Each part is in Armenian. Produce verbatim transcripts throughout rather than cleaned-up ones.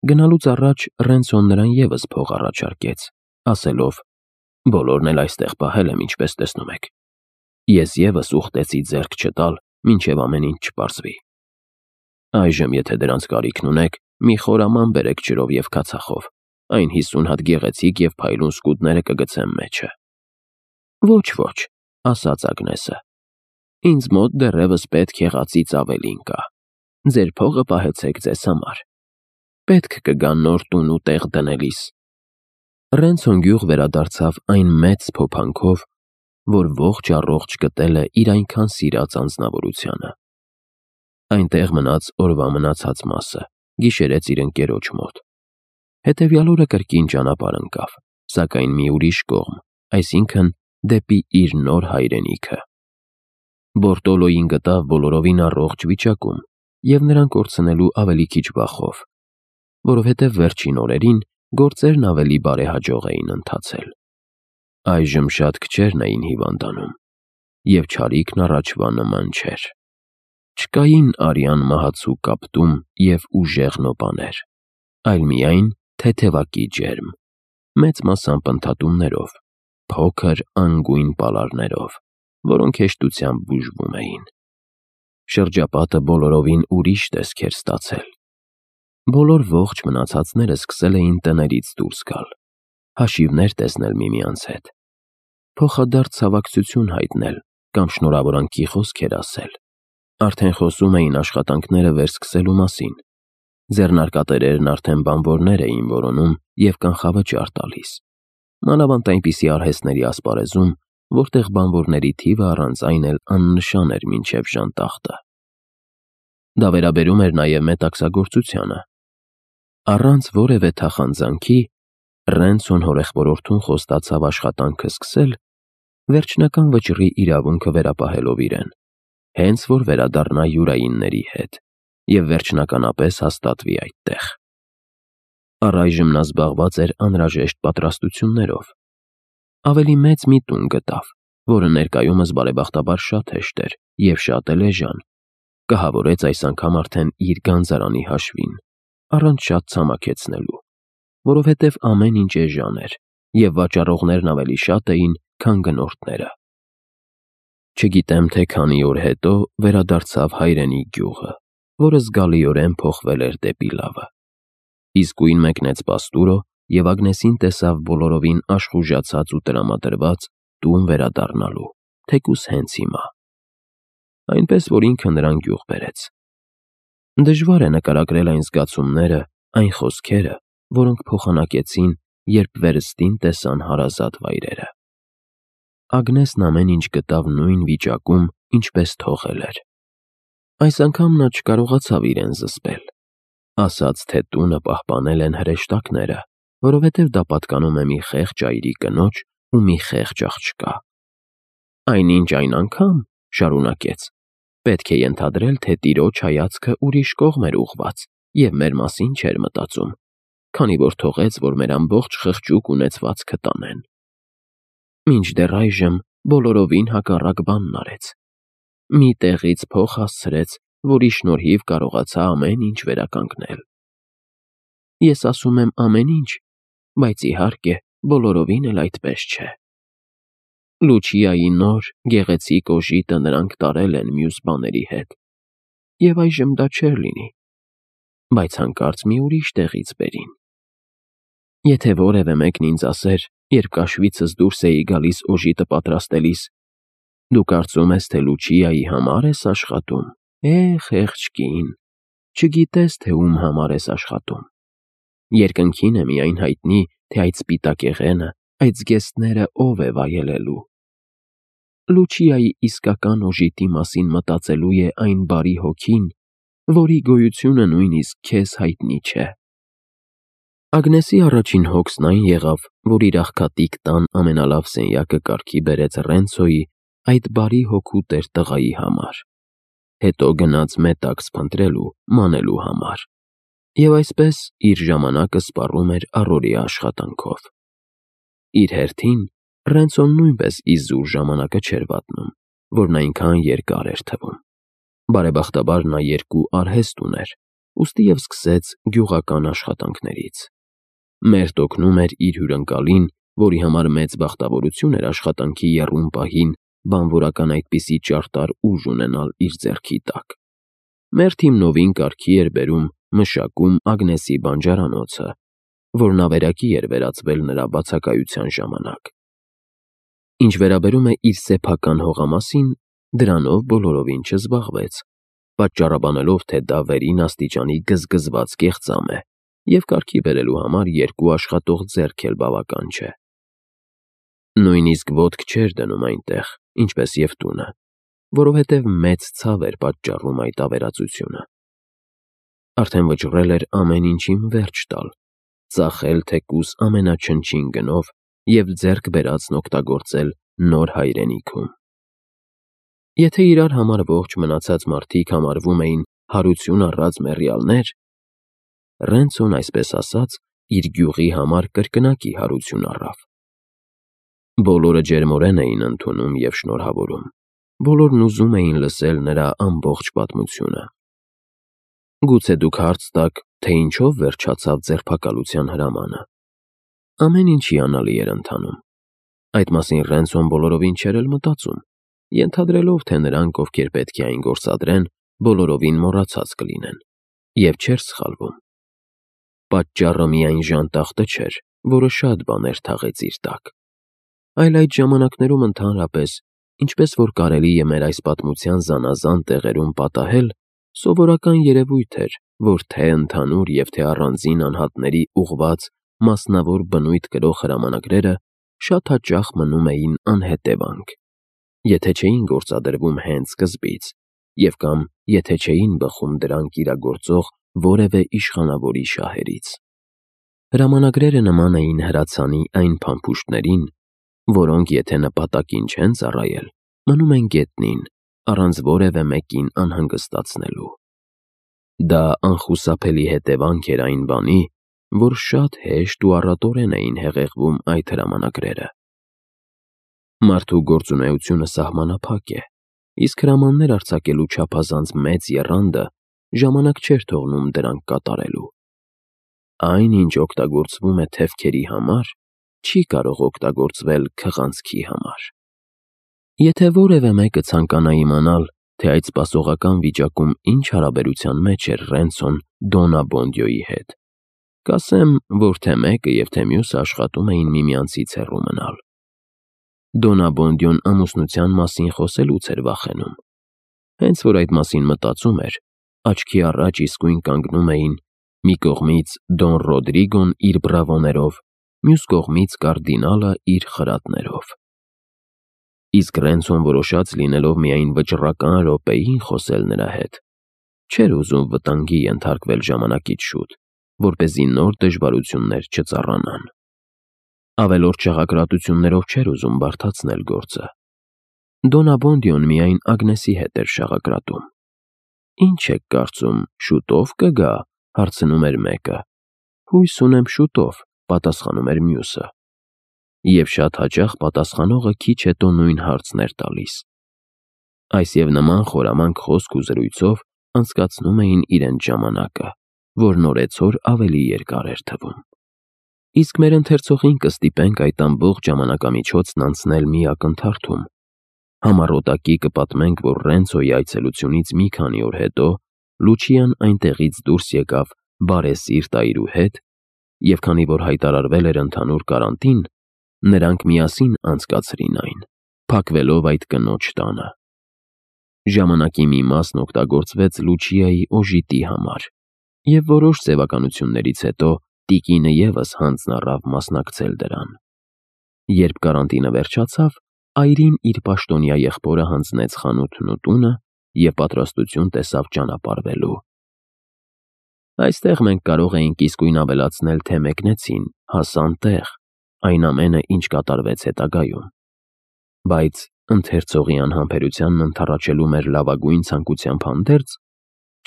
Գնալուց առաջ Ռենցոն նրան ևս փող առաջարկեց, ասելով. «Բոլորն էլ այստեղ պահել եմ, ինչպես տեսնում եք։ Ես ևս ուխտեցի ձեռք չտալ, մինչև ամեն ինչ չպարզվի։ Այժմ, եթե դրանց կարիքն ունեք, մի խորաման բերեք ջրով և քացախով, այն հիսուն հատ գեղեցիկ և փայլուն սկուտները կգցեմ մեջը»։ «Ոչ, ոչ», ասաց Ագնեսը, «ինձ մոտ դեռևս պետք եղածից ավելին կա։ Ձեր փողը պահեցեք ձեզ համար։ Պետք կգա նոր տուն ու տեղ դնելիս»։ Ռենցոն գյուղ վերադարձավ այն մեծ փոփանքով, որ ողջ առողջ գտել է իր այնքան սիրած անձնավորությանը։ Այնտեղ մնաց օրվա մնացած մասը, գիշերեց իր ընկերոջ մոտ։ Հետևյալ օրը կրկին ճանապարհ ընկավ, սակայն մի ուրիշ կողմ, այսինքն դեպի իր նոր հայրենիքը։ Բորտոլոյին գտավ բոլորովին առողջ վիճակում և նրան կորցնելու ավելի քիչ վախով, որովհետև վերջին օրերին գործերն ավելի բարեհաջող էին ընթացել։ Այժմ շատ քչերն էին հիվանդանում, և չարիքն առաջվա նման չէր։ Չկային արյան մահացու կապտում և ուժեղ նոպաներ, այլ միայն թեթևակի ջերմ, մեծ մասամբ ընդհատումներով, փոքր անգույն պալարներով, որոնք հեշտությամբ բուժվում էին։ Շրջապատը բոլորովին ուրիշ տեսք էր ստացել։ Բոլոր ողջ մնացածները սկսել էին տներից դուրս գալ, հաշիվներ տեսնել միմյանց հետ, փոխադարձ ցավակցություն հայտնել կամ շնորհավորանքի խոսքեր ասել։ Արդեն խոսում էին աշխատանքները վերսկսելու մասին։ Ձեռնարկատերերն արդեն բանվորներ էին որոնում և կանխավճար տալիս, մանավանդ այնպիսի արհեստների ասպարեզում, որտեղ բանվորների թիվը առանց այն էլ աննշան էր մինչև ժանտախտը։ Դա վերաբերում էր նաև մետաքսագործությանը։ Առանց որևէ թախանձանքի Ռենցոն հորեղբորորդուն խոստացավ աշխատանքը սկսել, վերջնական վճռի իրավունքը վերապահելով իրեն, հենց որ վերադառնա յուրայինների հետ և վերջնականապես հաստատվի այդտեղ։ Առայժմ նա զբաղված էր անհրաժեշտ պատրաստություններով։ Ավելի մեծ մի տուն գտավ, որը ներկայումս բարեբախտաբար շատ հեշտ էր և շատ էլ էժան, կահավորեց այս անգամ արդեն իր գանձարանի հաշվին, առանց շատ ցամաքեցնելու, որովհետև ամեն ինչ էժան էր, և վաճառողներն ավելի շատ էին, քան գնորդները։ Չգիտեմ, թե քանի օր հետո վերադարձավ հայրենի գյուղը, որը զգալիորեն փոխվել էր դեպի լավը։ Իսկույն մեկնեց պաստուրո և Ագնեսին տեսավ բոլորովին աշխուժացած ու տրամադրված տուն վերադառնալու, թեկուզ հենց հիմա։ Այնպես որ ինքը նրան գյուղ բերեց։ Դժվար է նկարագրել այն զգացումները, այն խոսքերը, որոնք փոխանակեցին, երբ վերստին տեսան հարազատ վայրերը։ Ագնեսն ամեն ինչ գտավ նույն վիճակում, ինչպես թողել էր։ Այս անգամ նա չկարողացավ իրեն զսպել։ Ասաց, թե տունը պահպանել են հրեշտակները, որովհետև դա պատկանում է մի խեղճ այրի կնոջ ու մի խեղճ աղջկա։ Այնինչ այն անգամ, շարունակեց, պետք է ենթադրել, թե տիրոջ հայացքը ուրիշ կողմ էր ուղղված և մեր մասին չէր մտածում, քանի որ թողեց, որ մեր ամբողջ խղճուկ ունեցվածքը տանեն։ Մինչդեռ այժմ բոլորովին հակառակ բանն արեց։ Մի տեղից փող հասցրեց, որի շնորհիվ կարողացա ամեն ինչ վերականգնել։ Ես ասում եմ ամեն ինչ, բայց իհարկե բոլորովին էլ այդպես չէ։ Լուչիայի նոր, գեղեցիկ օժիտը նրանք տարել են մյուս բաների հետ, և այժմ դա չէր լինի, բայց հանկարծ մի ուրիշ տեղից բերին։ Եթե որևէ մեկն ինձ ասեր, երբ կաշվիցս դուրս էի գալիս օժիտը պատրաստելիս. «Դու կարծում ես, թե Լուչիայի համար ես աշխատում, է, խեղճ կին, չգիտես, թե ում համար ես աշխատում։ Երկնքին է միայն հայտնի, թե այդ սպիտակեղենը, այդ զգեստները ով է վայելելու։ Լուչիայի իսկական օժիտի մասին մտածելու է այն բարի հոգին, որի գոյությունը նույնիսկ քեզ հայտնի չէ»։ Ագնեսի առաջին հոգսն այն եղավ, որ իր աղքատիկ տան ամենալավ սենյակը կարգի բերեց Ռենցոյի, այդ բարի հոգու տեր տղայի համար, հետո գնաց մետաքս փնտրելու, մանելու համար, և այսպես իր ժամանակը սպառում էր առօրյա աշխատանքով։ Իր հերթին Ռենցոն նույնպես իզուր ժամանակը չէր վատնում, որն այնքան երկար էր թվում։ Բարեբախտաբար նա երկու արհեստ ուներ, ուստի և սկսեց գյուղական աշխատանքներից։ Մերթ օգնում էր իր հյուրընկալին, որի համար մեծ բախտավորություն էր աշխատանքի եռում պահին բանվորական այդպիսի ճարտար ուժ ունենալ իր ձեռքի տակ։ Մերթ հիմնովին կարգի էր բերում, մշակում Ագնեսի բանջարանոցը, որն ավերակի էր վերածվել նրա բացակայության ժամանակ։ Ինչ վերաբերում է իր սեփական հողամասին, դրանով բոլորովին չզբաղվեց, պատճառաբանելով, թե դա վերին աստիճանի գզգզված կեղծամ է, և կարգի բերելու համար երկու աշխատող ձեռք էլ բավական չէ։ Նույնիսկ ոտք չէր դնում այնտեղ, ինչպես և տունը, որովհետև մեծ ցավ էր պատճառում այդ ավերածությունը։ Արդեն վճռել էր ամեն ինչին վերջ տալ, ծախել թեկուզ ամենաչնչին գնով և ձեռք բերածն օգտագործել նոր հայրենիքում։ Եթե իրար համար ողջ մնացած մարդիկ համարվում էին հարություն առած մեռյալներ, Ռենցոն, այսպես ասած, իր գյուղի համար կրկնակի հարություն առավ։ Բոլորը ջերմորեն էին ընդունում և շնորհավորում, բոլորն ուզում էին լսել նրա ամբողջ պատմությունը։ Գուցե դուք հարց տաք, թե ինչով վերջացավ ձերբակալության հրամանը։ Ամեն ինչ հիանալի էր ընթանում։ Այդ մասին Ռենցոն բոլորովին չէր էլ մտածում, ենթադրելով, թե նրանք, ովքեր պետք է այն գործադրեն, բոլորովին մոռացած կլինեն, և չէր սխալվում։ Պատճառը միայն ժանտախտը չէր, որը շատ բաներ թաղեց իր տակ, այլ այդ ժամանակներում ընդհանրապես, ինչպես որ կարելի է մեր այս պատմության զանազան տեղերում պատահել, սովորական երևույթ էր, որ թե ընդհանուր և թե առանձին անհատների ուղղված մասնավոր բնույթ կրող հրամանագրերը շատ հաճախ մնում էին անհետևանք, եթե չէին գործադրվում հենց սկզբից, և կամ եթե չէին բխում դրանք իրագործող որևէ իշխանավորի շահերից։ Հրամանագրերը նման էին հրացանի այն փամփուշտներին, որոնք եթե նպատակին չեն ծառայել, մնում են գետնին, առանց որևէ մեկին անհանգստացնելու։ Դա անխուսափելի հետևանք էր այն բանի, որ շատ հեշտ ու առատորեն էին հեղեղվում այդ հրամանագրերը։ Մարդու գործունեությունը սահմանափակ է, իսկ հրամաններ արձակելու չափազանց մեծ եռանդը ժամանակ չէր թողնում դրանք կատարելու։ Այն, ինչ օգտագործվում է թևքերի համար, չի կարող օգտագործվել քղանցքի համար։ Եթե որևէ մեկը ցանկանա իմանալ, թե այդ սպասողական վիճակում ինչ հարաբերության մեջ էր Ռենցոն Դոննա Բոնդյոյի հետ, կասեմ, որ թե մեկը և թե մյուսը աշխատում էին միմյանցից հեռու մնալ։ Դոննա Բոնդյոն ամուսնության մասին խոսելուց էր վախենում։ Հենց որ այդ մասին մտածում էր, աչքի առաջ իսկույն կանգնում էին մի կողմից Դոն Ռոդրիգոն իր բրավոներով, մյուս կողմից կարդինալը իր խրատներով։ Իսկ Ռենցոն որոշած լինելով միայն վճռական րոպեին խոսել նրա հետ, չէր ուզում վտանգի ենթարկվել ժամանակից շուտ, որպեսզի նոր դժվարություններ չծառանան։ Ավելորդ շաղակրատություններով չէր ուզում բարդացնել գործը։ Դոննա Բոնդյոն միայն Ագնեսի հետ էր շաղակրատում։ Ինչ եք կարծում, շուտո՞վ կգա, հարցնում էր մեկը։ Հույս ունեմ շուտով, պատասխանում էր մյուսը։ Եվ շատ հաճախ պատասխանողը քիչ հետո նույն հարցն էր տալիս։ Այս և նման խորամանկ խոսք ու զրույցով անցկացնում էին իրենց ժամանակը, որն օրեցօր ավելի երկար էր թվում։ Իսկ մեր ընթերցողին կստիպենք այդ ամբողջ ժամանակամիջոցն անցնել մի ակնթարթում։ Համառոտակի կպատմենք, որ Ռենցոյի այցելությունից մի քանի օր հետո Լուչիան այնտեղից դուրս եկավ բարեսիրտ այրու հետ, և քանի որ հայտարարվել էր ընդհանուր կարանտին, նրանք միասին անցկացրին այն, փակվելով այդ կնոջ տանը։ Ժամանակի մի մասն օգտագործվեց Լուչիայի օժիտի համար, և որոշ ձևականություններից հետո տիկինը ևս հանձն առավ մասնակցել դրան։ Երբ կարանտինը վերջացավ, այրին իր պաշտոնյա եղբորը հանձնեց խանութն ու տունը և պատրաստություն տեսավ ճանապարհվելու։ Այստեղ մենք կարող էինք իսկույն ավելացնել, թե մեկնեցին, հասան տեղ, այն ամենը, ինչ կատարվեց հետագայում։ Բայց ընթերցողի անհամբերությանն ընդառաջելու մեր լավագույն ցանկությամբ հանդերձ,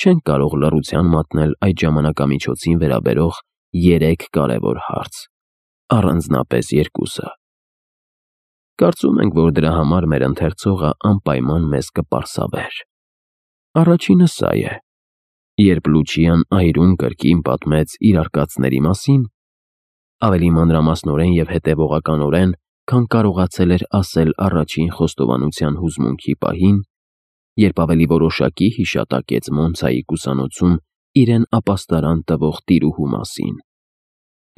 չենք կարող լռության մատնել այդ ժամանակամիջոցին վերաբերող երեք կարևոր հարց, առանձնապես երկուսը։ Կարծում ենք, որ դրա համար մեր ընթերցողը անպայման մեզ կպարսավեր։ Առաջինը սա է. Երբ Լուչիան այրուն կրկին պատմեց իր արկածների մասին, ավելի մանրամասնորեն և հետևողականորեն, քան կարողացել էր ասել առաջին խոստովանության հուզմունքի պահին, երբ ավելի որոշակի հիշատակեց Մոնցայի կուսանոցում իրեն ապաստարան տվող տիրուհու մասին,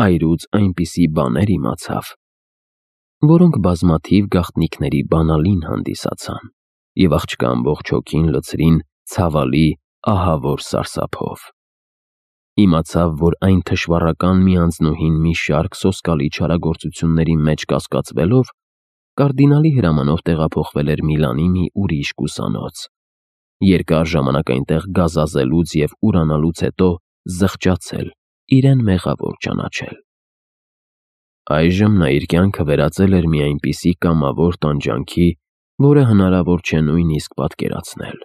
այրուց այնպիսի բաներ իմացավ, որոնք բազմաթիվ գաղտնիքների բանալին հանդիսացան և աղջկա ամբողջ հոգին լցրին ցավալի, ահավոր սարսափով։ Իմացավ, որ այն թշվառական մի անձնուհին մի շարք սոսկալի չարագործությունների մեջ կասկածվելով, կարդինալի հրամանով տեղափոխվել էր Միլանի մի ուրիշ կուսանոց, երկար ժամանակ այնտեղ գազազելուց և ուրանալուց հետո զղջացել, իրեն մեղավոր ճանաչել։ Այժմ նա իր կյանքը վերածել էր մի այնպիսի կամավոր տանջանքի, որը հնարավոր չէ նույնիսկ պատկերացնել։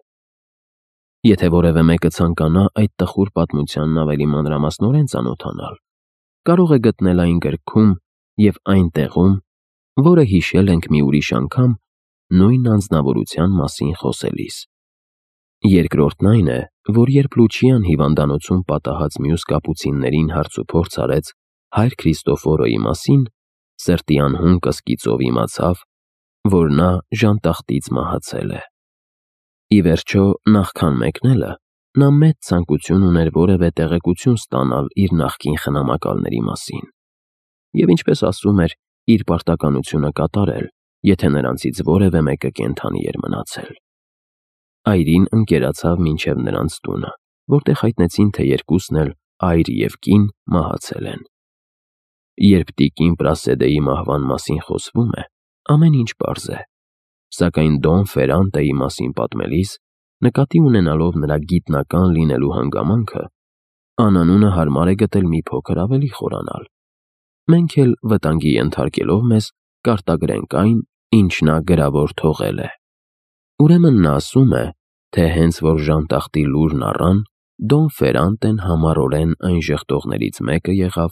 Եթե որևէ մեկը ցանկանա այդ տխուր պատմությանն ավելի մանրամասնորեն ծանոթանալ, կարող է գտնել այն գրքում և այն տեղում, որը հիշել ենք մի ուրիշ անգամ նույն անձնավորության մասին խոսելիս։ Երկրորդն այն է, որ երբ Լուչիան հիվանդանոցում պատահած մյուս կապուցիններին հարցուփորձ արեց հայր Քրիստոֆորոյի մասին, սրտի անհուն կսկիծով իմացավ, որ նա ժանտախտից մահացել է։ Ի վերջո, նախքան մեկնելը, նա մեծ ցանկություն ուներ որևէ տեղեկություն ստանալ իր նախկին խնամակալների մասին և, ինչպես ասում էր, իր պարտականությունը կատարել, եթե նրանցից որևէ մեկը կենդանի էր մնացել։ Այրին ընկերացավ մինչև նրանց տունը, որտեղ հայտնեցին, թե երկուսն էլ, այր և կին, մահացել են։ Երբ տիկին Պրասեդեի մահվան մասին խոսվում է, ամեն ինչ պարզ է, սակայն Դոն Ֆերրանտեի մասին պատմելիս, նկատի ունենալով նրա գիտնական լինելու հանգամանքը, անանունը հարմար է գտել մի փոքր ավելի խորանալ։ Մենք էլ վտանգի ենթարկելով մեզ, կարտագրենք այն, ինչ նա գրավոր թողել է։ Ուրեմն նա ասում է, թե հենց որ ժանտախտի լուրն առան, Դոն Ֆերրանտեն համառորեն այն ժխտողներից մեկը եղավ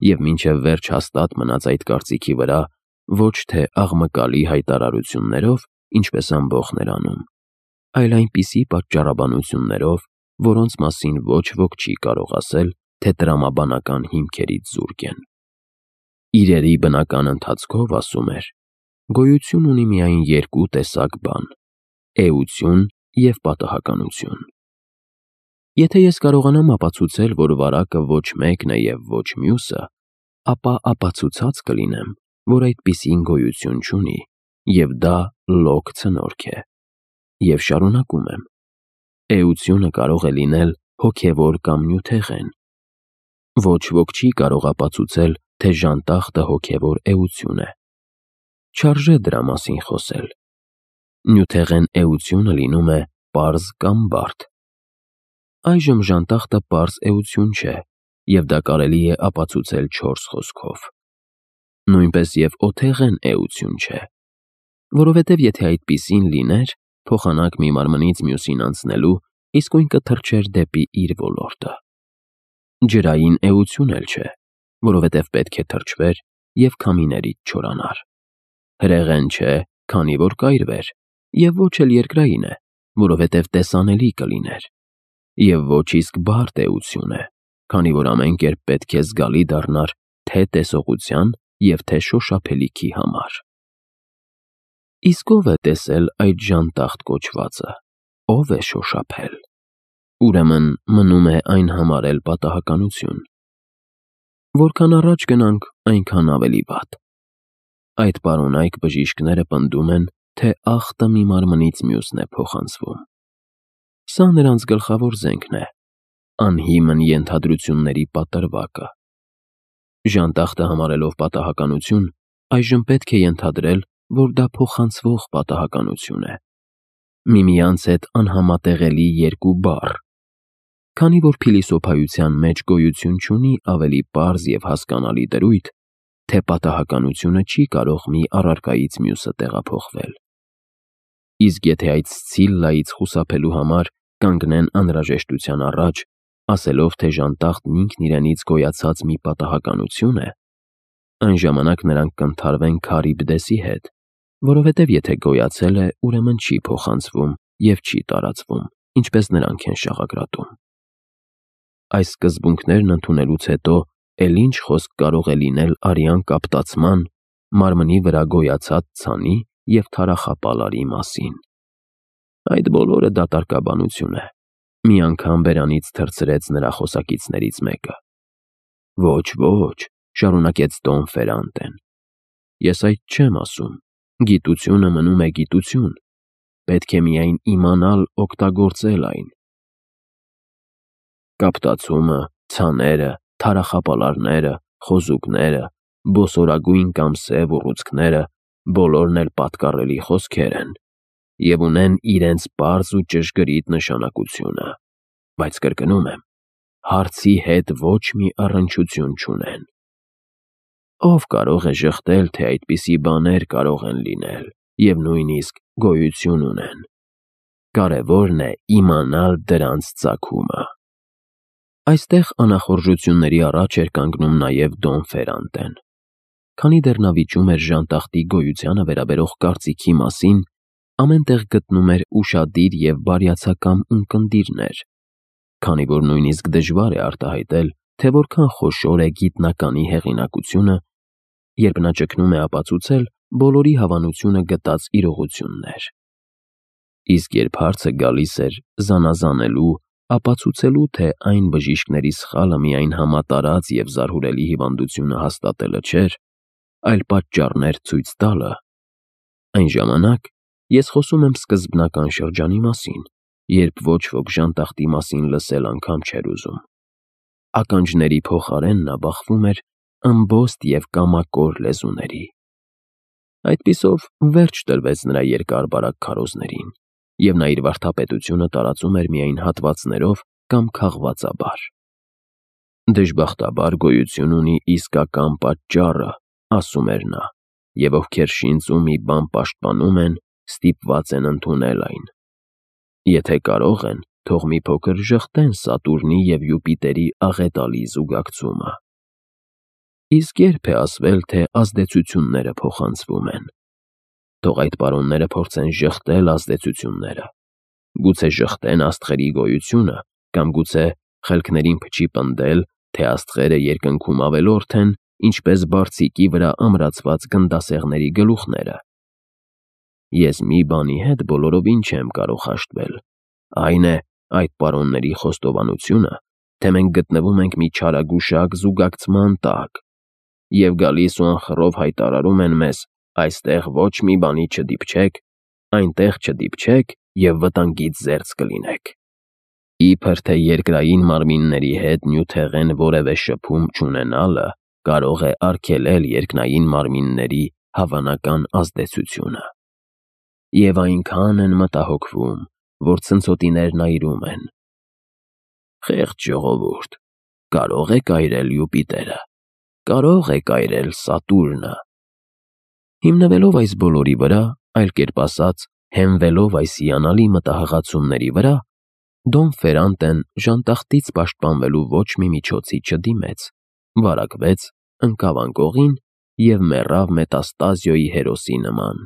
և մինչև վերջ հաստատ մնաց այդ կարծիքի վրա, ոչ թե աղմկալի հայտարարություններով, ինչպես ամբոխն էր անում, այլ այնպիսի պատճառաբանություններով, որոնց մասին ոչ ոք չի կարող ասել, թե տրամաբանական հիմքերից զուրկ են։ Իրերի բնական ընթացքով, ասում էր, գոյություն ունի միայն երկու տեսակ բան՝ էություն և պատահականություն։ Եթե ես կարողանամ ապացուցել, որ վարակը ոչ մեկն է և ոչ մյուսը, ապա ապացուցած կլինեմ, որ այդպիսին գոյություն չունի, և դա լոկ ցնորք է։ Եվ շարունակում եմ. էությունը կարող է լինել հոգևոր կամ նյութեղեն։ Ոչ ոք չի կարող ապացուցել, թե ժանտախտը հոգևոր էություն է։ Չարժե դրա մասին խոսել։ Նյութեղեն էությունը լինում է պարզ կամ բարդ։ Այժմ ժանտախտը պարզ էություն չէ, և դա կարելի է ապացուցել չորս խոսքով։ Նույնպես և օթեղեն էություն չէ, որովհետև եթե այդպիսին լիներ, փոխանակ մի մարմնից մյուսին անցնելու, իսկույն կթռչեր դեպի իր ոլորտը։ Ջրային էություն էլ չէ, որովհետև պետք է թռչվեր և քամիներից չորանար։ Հրեղեն չէ, քանի որ կայրվեր, և ոչ էլ երկրային է, որովհետև տեսանելի կլիներ, և ոչ իսկ բարդ էություն է, քանի որ ամեն կերպ պետք է զգալի դառնար թե տեսողության և թե շոշափելիքի համար։ Իսկ ո՞վ է տեսել այդ ժանտախտ կոչվածը, ո՞վ է շոշափել։ Ուրեմն մնում է այն համարել պատահականություն։ Որքան առաջ գնանք, այնքան ավելի վատ։ Այդ պարոնայք բժիշկները պնդում են, թե ախտը մի մարմնից մյուսն է փոխանցվում։ Սա նրանց գլխավոր զենքն է, անհիմն ենթադրությունների պատրվակը։ Ժանտախտը համարելով պատահականություն, այժմ պետք է ենթադրել, որ դա փոխանցվող պատահականություն է։ Միմյանց հետ անհամատեղելի երկու բառ։ Քանի որ փիլիսոփայության մեջ գոյություն չունի ավելի պարզ և հասկանալի դրույթ, թե պատահականությունը չի կարող մի առարկայից մյուսը տեղափոխվել։ Իսկ եթե այդ Սցիլլայից խուսափելու համար կանգնեն անհրաժեշտության առաջ, ասելով, թե ժանտախտն ինքն իրենից գոյացած մի պատահականություն է, այն ժամանակ նրանք կընդհարվեն Քարիբդեսի հետ, որովհետև եթե գոյացել է, ուրեմն չի փոխանցվում և չի տարածվում, ինչպես նրանք են շաղակրատում։ այս սկզբունքներն ընդունելուց հետո էլ ինչ խոսք կարող է լինել արյան կապտացման, մարմնի վրա գոյացած ցանի և թարախապալարի մասին։ Այդ բոլորը դատարկաբանություն է, մի անգամ բերանից թռցրեց նրա խոսակիցներից մեկը։ Ոչ, ոչ, շարունակեց Դոն Ֆերանտեն, ես այդ չեմ ասում, գիտությունը մնում է գիտություն, պետք է միայն իմանալ օգտագործել այն։ Կապտացումը, ցաները, թարախապալարները, խոզուկները, բոսորագույն կամ սև ուռուցքները բոլորն էլ պատկառելի խոսքեր են և ունեն իրենց պարզ ու ճշգրիտ նշանակությունը, բայց կրկնում եմ, հարցի հետ ոչ մի առնչություն չունեն։ Ով կարող է ժխտել, թե այդպիսի բաներ կարող են լինել և նույնիսկ գոյություն ունեն։ Կարևորն է իմանալ դրանց ծագումը։ Այստեղ անախորժությունների առաջ էր կանգնում նաև Դոն Ֆերանտեն։ Քանի դեռ նա վիճում էր ժանտախտի գոյությանը վերաբերող կարծիքի մասին, ամեն տեղ գտնում էր ուշադիր և բարյացակամ ունկնդիրներ, քանի որ նույնիսկ դժվար է արտահայտել, թե որքան խոշոր է գիտնականի հեղինակությունը, երբ նա ճգնում է ապացուցել բոլորի հավանությունը գտած իրողություններ։ Իսկ երբ հարցը գալիս էր զանազանելու, ապացուցելու, թե այն բժիշկների սխալը միայն համատարած և զարհուրելի հիվանդությունը հաստատելը չէր, այլ պատճառներ ցույց տալը, այն ժամանակ ես խոսում եմ սկզբնական շրջանի մասին, երբ ոչ ոք ժանտախտի մասին լսել անգամ չէր ուզում։ Ականջների փոխարեն նա բախվում էր ըմբոստ և կամակոր լեզուների։ Այդպիսով վերջ տրվեց նրա երկար-բարակ քարոզներին, և նա իր վարդապետությունը տարածում էր միայն հատվածներով կամ քաղվածաբար։ Դժբախտաբար գոյություն ունի իսկական պատճառը, ասում էր նա, և ովքեր շինծու մի բան պաշտպանում են, ստիպված են ընդունել այն։ Եթե կարող են, թող մի փոքր ժխտեն Սատուրնի և Յուպիտերի աղետալի զուգակցումը։ Իսկ ե՞րբ է ասվել, թե ազդեցությունները փոխանցվում են։ Թող այդ պարոնները փորձեն ժխտել ազդեցությունները։ Գուցե ժխտեն աստղերի գոյությունը, կամ գուցե խելքներին փչի պնդել, թե աստղերը երկնքում ավելորդ են, ինչպես բարձիկի վրա ամրացված գնդասեղների գլուխները։ Ես մի բանի հետ բոլորովին չեմ կարող հաշտվել, այն է այդ պարոնների խոստովանությունը, թե մենք գտնվում ենք մի չարագուշակ զուգակցման տակ, և գալիս ու անխռով հայտարարում են մեզ. այստեղ ոչ մի բանի չդիպչեք, այնտեղ չդիպչեք և վտանգից զերծ կլինեք։ Իբր թե երկրային մարմինների հետ նյութեղեն որևէ շփում չունենալը կարող է արգելել երկնային մարմինների հավանական ազդեցությունը։ Եվ այնքան են մտահոգվում, որ ցնցոտիներն այրում են։ Խեղճ ժողովուրդ, կարո՞ղ եք այրել Յուպիտերը, կարո՞ղ եք այրել Սատուրնը։ Հիմնվելով այս բոլորի վրա, այլ կերպ ասած, հենվելով այս հիանալի մտահղացումների վրա, Դոն Ֆերանտեն ժանտախտից պաշտպանվելու ոչ մի միջոցի չդիմեց, վարակվեց, ընկավ անկողին և մեռավ Մետաստազիոյի հերոսի նման,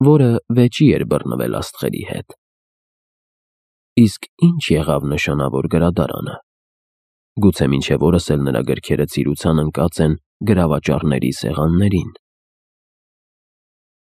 որը վեճի էր բռնվել աստղերի հետ։ Իսկ ի՞նչ եղավ նշանավոր գրադարանը։ Գուցե մինչև օրս էլ նրա գրքերը ծիրության ընկած են գրավաճառների սեղաններին։